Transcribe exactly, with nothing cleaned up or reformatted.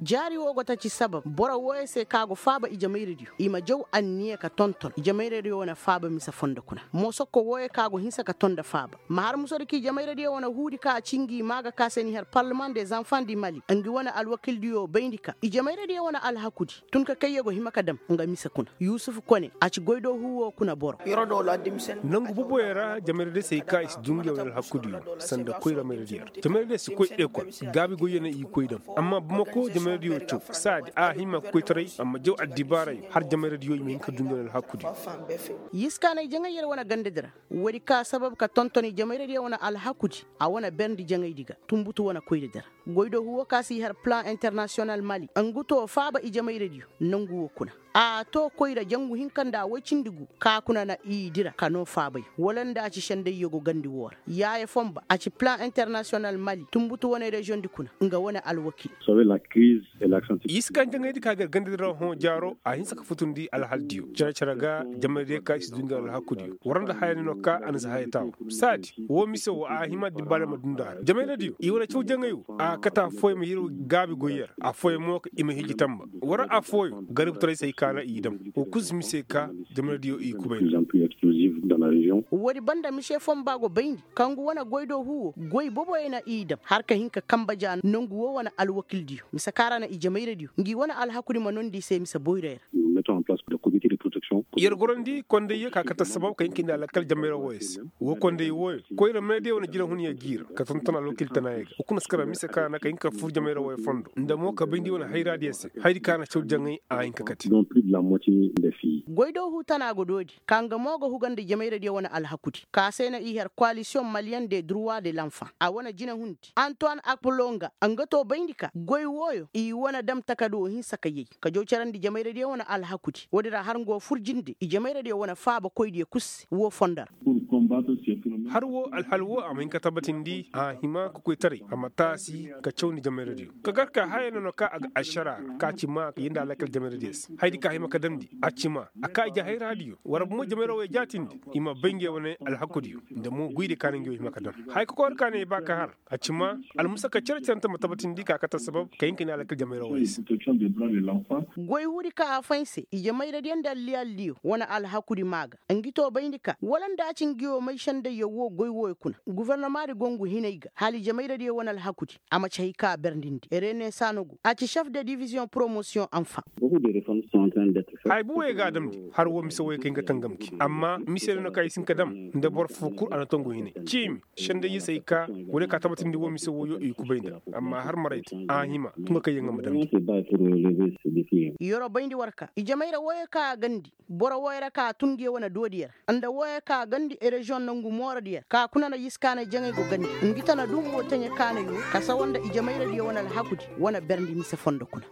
Jaari woo go ta ci sabab boro wooyo se ka go faaba ijemayradiyo i ma jaw anniya ka tonton ijemayradiyo wane faaba mise fondo kuna. Moosokko wooyo ka go hinsa ka ton nda faaba ma har musodi ka ijemayradiyo wane huudi ka a ci ngi maa ga ka se ni har parleman de zanfan di mali ngi wane alwakildiyo bayndi ka ijemayradiyo wane alhakudi tun ka kayyo go hima ka dam nga mise kuna. Yusufu kone a ci goydoo huu woo kuna boro. Nangu boboyo ra jamayradiyo se ay ka i si du ngi wane alhakudiyo sanda koyra mayradiyo ra. Jamayradiyo si koy ekol gaabi goyyo na i koy dam. Amma bamako jamayradiyo caw saadi a hima ka koytaray amma jaw addibaarayo har jamayradiyo i ma hin ka du ngi wane alhakudiyo. Yiskaanay jaŋay yer wane gandadi ra. Woodi ka sabab ka tonton ijemayradiyo wane alhakudi a wane berndi jaŋaydi ga tunbutu wane koyradi ra. Goydoo huwo ka si har plan internasiyonal mali ngu too faaba ijemayradiyo nangu woo kuna. A too koyra jangu hinka nda woy cindi gu ka kuna na i dira ka noo faabay wala nda a ci sendayyo go gandi woo ra yaaya fonba a ci plan internasiyonal mali tunbutu wane reziyoŋdi kuna nga wane alwakil. Yiskaŋ jaŋaydi ka gar gandadi ra hõ jaaro a hinsa ka futundi alhaldiyo cere-cere ga jamayradiyo ka i si du ngi alhakudiyo war nda haya ne no ka a na si haya taaru saadi woo mise woo a hima dibbaale ma du nda har jamayradiyo i wane caw jaŋay woo a kate affooyaŋ ma yir gaabi goyyer affooyaŋ mo ka i ma hiji tamba war affooyaŋ garibtaray se ay ka na i dam. Woo kul si mise ka jamayradiyo i kubay nda. Woodi banda mise fonba go bayndi ka ngu wane goydoo huwo goy boboyo na i dam har ka hin ka kamba ja nangu woo wane alwakildiyo mise ka ra na ijemayradiyo ngi wane alhakudi ma nondi i se mise boyray ra. Yer gorandi kondayyo ka kate assabab ka hin ka hin da alakal jamayra wooyo se. Woo konday wooyo koyra mayradiyo wane jire hunyo g'i ra ka tonton alwakil tanaayo ga woo kuna si kara mise ka na ka hin ka fur jamayra wooyo fondo nda mo ka bayndi wane hayraadiyo se hayadi ka na caw jaŋay a hin ka kate. Goydoo huu tanaa go doodi ka nga mo ga huga nda jamayradiyo wane alhakudi ka se na i har koalisiyoŋ maliyeŋ de durwa de lanfaŋ a wane jinehundi antuwan akpulonga nga too bayndi ka goy wooyo i wane dam takadu woo hinsa ka yay ka jaw carandi jamayradiyo wane alhakudi woodi ra har nga woo fur jinde ijemayradiyo wane faabakoydiyo kul se woo fondo ra. Har woo alhal woo a ma hin ka tabatindi a hima ka koytaray a ma taasi ka cawndi jamayradiyo ka gar ka haya nono ka a ga ašara ra ka ci maa ka yee nda alakal jamayradiyo se hayadi ka hima ka damndi a ci maa a ka ije hayraadiyo war bumo jamayra wooyo jaatindi i ma bay ngey wane alhakudiyo nda mo goydiyo ka na ngey woo hima ka dam haya ka koyra ka ne i ba ka har a ci maa almusaka cere-cerante ma tabatindi ka kate assabab ka hin ka ne alakal jamayra wooyo se. Goy huudi ka a fay se ijemayradiyo nda alliyaldiyo wane alhakudi maa ga ngi too bayndi ka wala nda a ci ngi woo may sendayyo woo goy wooyo kuna gofornomaadi go ngu hinay ga hala ijemayradiyo wane alhakudi a ma ci hay ka a berndindi rene sanogo a ci šef de diviziyoŋ poromosiyoŋ anfaŋ. Haya buwey ga a damndi har woo mise wooyo ka hin ka tangam gi amma mise no no ka i si hin ka dam nda boro foo kul a na tongu hinay ciimi sendayyo se ay ka woo day ka tabatindi woo mise wooyo i kubay nda amma har maray te a hima tun ka kay yaŋ a ma damndi. Yeroo bayndi war ka ijemayradiyo wooyo ka a gandi boro wooyo ra ka a tun ngi wane doodiyo ra nda wooyo ka a gandi reziyoŋ nongu mooradiyo ra ka kuna na yiskaanay jaŋay go gandi ngi tana dumbo taɲe kaanay woo ka sawa nda ijemayradiyo wane alhakudi wane berndi mise fondo kuna.